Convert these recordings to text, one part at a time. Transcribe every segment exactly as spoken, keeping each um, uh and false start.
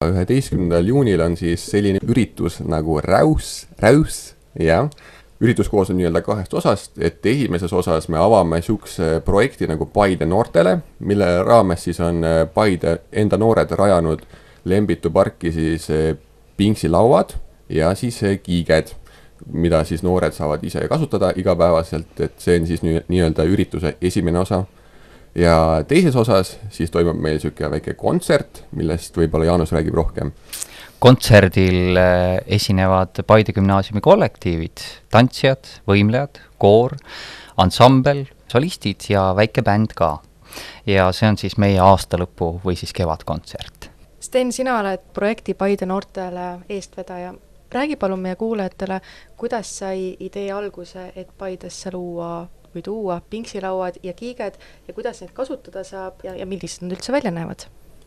üheteistkümnendal juunil on siis selline üritus nagu Räus, Räus, jah. Üritus koosneb nii-öelda kahest osast, et esimeses osas me avame sihukese projekti nagu Paide noortele, mille raames siis on Paide enda noored rajanud Lembitu parki siis pingsilauad ja siis kiiged, mida siis noored saavad ise kasutada igapäevaselt, et see on siis nii-öelda ürituse esimene osa. Ja teises osas siis toimub meil siuke väike kontsert, millest võib-olla Jaanus räägib rohkem. Kontserdil esinevad Paide gümnaasiumi kollektiivid, tantsijad, võimlejad, koor, ansambel, solistid ja väike bänd ka. Ja see on siis meie aastalõpu või siis kevadkontsert. Sten, sina oled projekti Paide noortele eestvedaja. Räägi palun meie kuulajatele, kuidas sai idee alguse, et Paidesse luua või tuua pingsilauad ja kiiged ja kuidas neid kasutada saab ja, ja millised nad üldse välja näevad?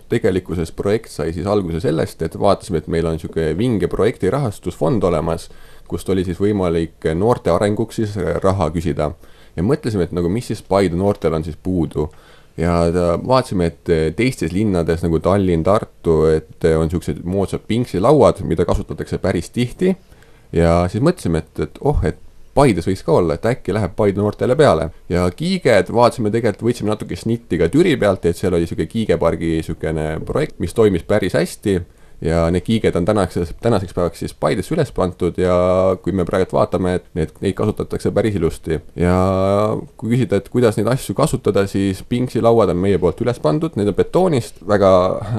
Tegelikkuses projekt sai siis alguse sellest, et vaatasime, et meil on siuke vinge projekti rahastusfond olemas, kust oli siis võimalik noorte arenguks siis raha küsida. Ja mõtlesime, et nagu mis siis Paide noortel on siis puudu. Ja vaatasime, et teistes linnades nagu Tallinn, Tartu, et on siuksed moodsad pingsilauad, mida kasutatakse päris tihti. Ja siis mõtlesime, et, et oh, et Paides võiks ka olla, et äkki läheb Paide noortele peale. Ja kiiged, vaatasime tegelikult, võtsime natuke snitti ka Türi pealt, et seal oli siuke kiigepargi siukene projekt, mis toimis päris hästi. Ja need kiiged on tänaseks, tänaseks päevaks siis Paidesse üles pantud ja kui me praegu vaatame, et need, neid kasutatakse päris ilusti. Ja kui küsida, et kuidas neid asju kasutada, siis pingsilauad on meie poolt üles pandud, need on betoonist, väga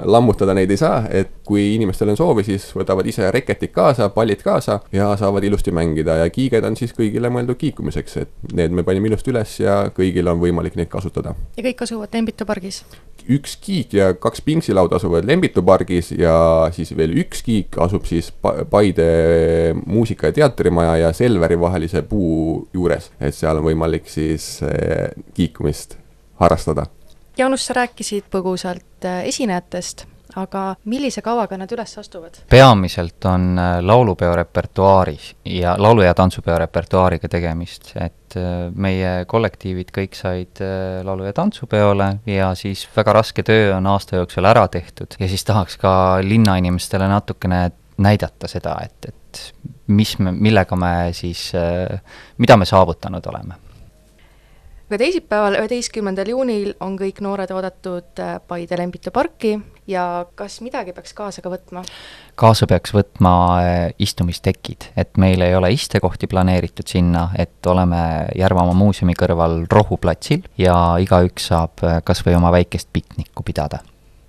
lammutada neid ei saa, et kui inimestel on soovi, siis võtavad ise reketid kaasa, pallid kaasa ja saavad ilusti mängida ja kiiged on siis kõigile mõeldud kiikumiseks, et need me panime ilusti üles ja kõigil on võimalik neid kasutada. Ja kõik asuvad Lembitu pargis? Üks kiik ja kaks pingsilaud asuvad Lembitu pargis ja siis veel üks kiik asub siis Paide muusika- ja teatrimaja ja Selveri vahelise puu juures, et seal on võimalik siis kiikumist harrastada. Jaanus, sa rääkisid põgusalt esinejatest, aga millise kavaga nad üles astuvad? Peamiselt on laulupeo repertuaaris ja laulu- ja tantsupeo repertuaariga tegemist, et meie kollektiivid kõik said laulu- ja tantsupeole ja siis väga raske töö on aasta jooksul ära tehtud ja siis tahaks ka linnainimestele natukene näidata seda, et, et mis me, millega me siis, mida me saavutanud oleme. Aga teisipäeval üheteistkümnendal juunil on kõik noored oodatud Paide Lembitu parki ja kas midagi peaks kaasa ka võtma? Kaasa peaks võtma istumistekid, et meil ei ole istekohti planeeritud sinna, et oleme Järvamaa muuseumi kõrval rohuplatsil ja igaüks saab kas või oma väikest piknikku pidada.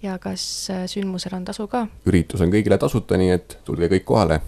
Ja kas sündmusel on tasu ka? Üritus on kõigile tasuta, nii et tulge kõik kohale.